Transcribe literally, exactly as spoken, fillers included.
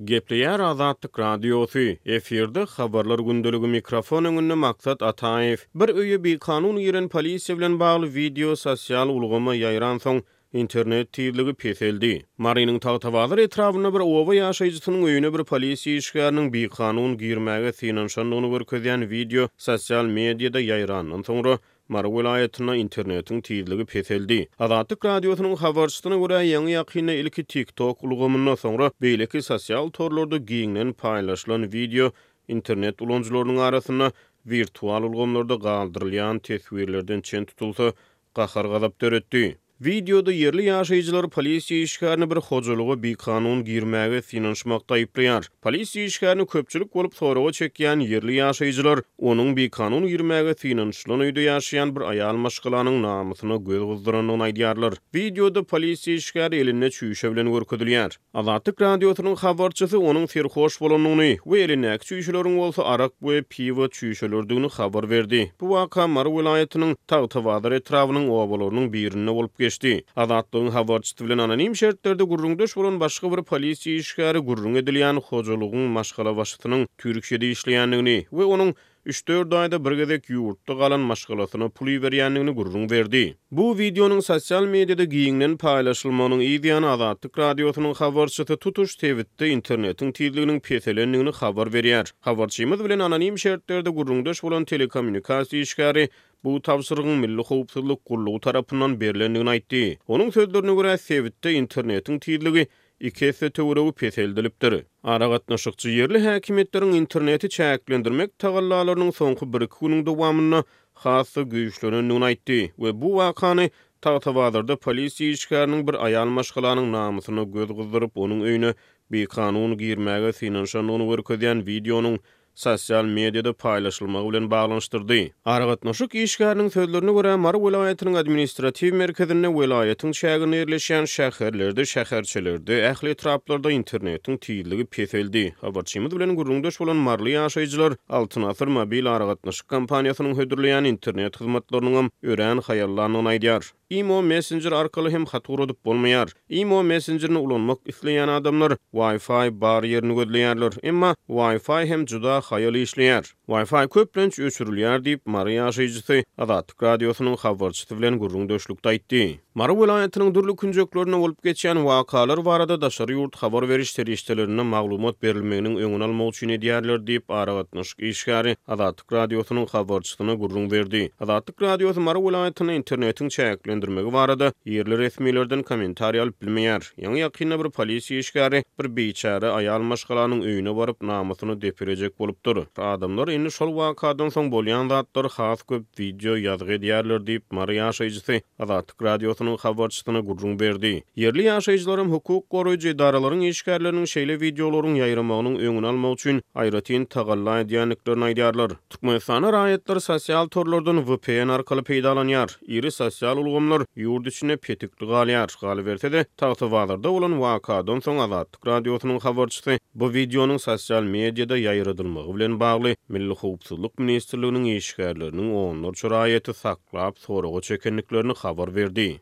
Gepleýär Azatlyk Radiosy, efirde Habarlar gündeligi, mikrofon öňünde Maksat Ataýew. Bir öýe bikanun giren polisiýa bilen bagly wideo sosial ulgama ýaýransoň, internet tizligi peseldi. Marynyň Tagtabazar etrabynda bir oba ýaşaýjysynyň öýüne bir polisiýa işgäriniň bikanun girmäge synanyşandygyny görkezýän wideo sosial mediada ýaýrandan soňra, Mary welaýatynda internetiň tizligi peseldi. Azatlyk Radiosynyň habarçysyna görä, ýaňy-ýakynda ilki TikTok ulgamynda, soňra beýleki sosial torlarda giňden paýlaşylan wideo internet ulanyjylarynyň arasynda wirtual ulgamlarda galdyrylýan teswirlerden çen tutulsa, gahar-gazap döretdi. Wideoda ýerli ýaşaýjylar polisiýa işgärini bir hojalyga bikanun girmäge synanyşmakda aýyplaýar. Polisiýa işgärini köpçülik bolup soraga çekýän ýerli ýaşaýjylar onuň bikanun girmäge synanyşylan öýde ýaşaýan bir aýal maşgalanyň namysyna göz gyzdyrandygyny aýdýarlar. Wideoda polisiýa işgäri elinde çüýşe bilen görkezilýär. Azatlyk Radiosynyň habarçysy onuň serhoş bolandygyny we elindäki çüýşeleriň bolsa arak we piwo çüýşeleridigini habar berdi. Bu waka Mary welaýatynyň Tagtabazar etrabynyň obalarynyň birinde bolup geçdi. Azatlygyň habarçysy bilen anonim şertlerde gürrüňdeş bolan başga bir polisiýa işgäri gürrüň edilýän hojalygyň maşgalabaşysynyň Türkiýede işleýändigini we onuň üç-dört aýda bir gezek ýurtda galan maşgalasyna pul iberýändigini gürrüň berdi. Bu wideonyň sosial mediada giňden paýlaşylmagynyň yz ýany Azatlyk Radiosynyň habarçysy tutuş sebitde internetiň tizliginiň peselendigini habar berýär. Habarçymyz bilen anonim şertlerde gürrüňdeş bolan telekommunikasiýa işgäri bu tabşyrygyň Milli howpsuzlyk gullugy tarapyndan berlendigini aýtdy. Onuň sözlerine görä, sebitde internetiň tizligi iki esse töweregi peseldilipdir. Aragatnaşykçy ýerli häkimiýetleriň interneti çäklendirmek tagallalarynyň soňky bir-iki günüň dowamynda has-da güýçlenendigini aýtdy we bu wakany Tagtabazarda polisiýa işgäriniň bir aýal maşgalanyň namysyna göz gyzdyryp, onuň öýüne bikanun girmäge synanyşandygyny görkezýän wideonyň sosial mediada paýlaşylmagy bilen baglanyşdyrdy. Aragatnaşyk işgäriniň sözlerine görä, Mary welaýatynyň administratiw merkezinde, welaýatyň çäginde ýerleşýän şäherlerde, şäherçelerde, ähli etraplarda internetiň tizligi peseldi. Habarçymyz bilen gürrüňdeş bolan maryly ýaşaýjylar Altyn Asyr mobil aragatnaşyk kompaniýasynyň hödürleýän internet hyzmatlarynyňam örän haýallandygyny aýdýar. Imo messenjer arkaly hem hat ugradyp bolmaýar. Imo messenjerini ulanmak isleýän adamlar Wi-Fi bar ýerini gözleýärler. Emma Wi-Fi hem juda haýal işleýär. Wi-Fi köplenç öçürilýär diýip, Mary ýaşaýjysy Azatlyk Radiosynyň habarçysy bilen gürrüňdeşlikde aýtdy. Mary welaýatynyň dürli künjeklerinde bolup geçýän wakalar barada daşary ýurt habar beriş serişdelerinde maglumat berilmeginiň öňüni almak üçin edýärler diýip, aragatnaşyk işgäri Azatlyk Radiosynyň habarçysyna gürrüň berdi. Azatlyk Radiosy Mary welaýatynda internetiň çäklendirmegi barada ýerli resmilerden kommentariý alyp bilmeýär. Ýaňy-ýakynda bir polisiýa işgäri bir biçäre aýal maşgalanyň öýüne baryp, namysyny depelejek bolupdyr. Adamlar indi şol wakadan soň bolýan zatlary has köp wideo ýazgy edýärler diýip, Mary ýaşaýjysy Azatlyk Radiosynyň habarçysyna gürrüň berdi. Ýerli ýaşaýjylaram hukuk goraýjy edaralaryň işgärleriniň şeýle wideolaryň ýaýramagynyň öňüni almak üçin aýratyn tagalla edýändiklerini aýdýarlar. Türkmenistanda raýatlar sosial torlardan V P N arkaly peýdalanýar. Iri sosial ulgamlar ýurt içinde petikli galýar. Galyberse-de, Tagtabazarda bolan wakadan soň Azatlyk Radiosynyň habarçysy bu wideonyň sosial mediada ýaýradylmagy bilen bagly Milli Howpsuzlyk Ministrliginiň işgärleriniň onlarça raýaty saklap soraga çekendiklerini habar berdi.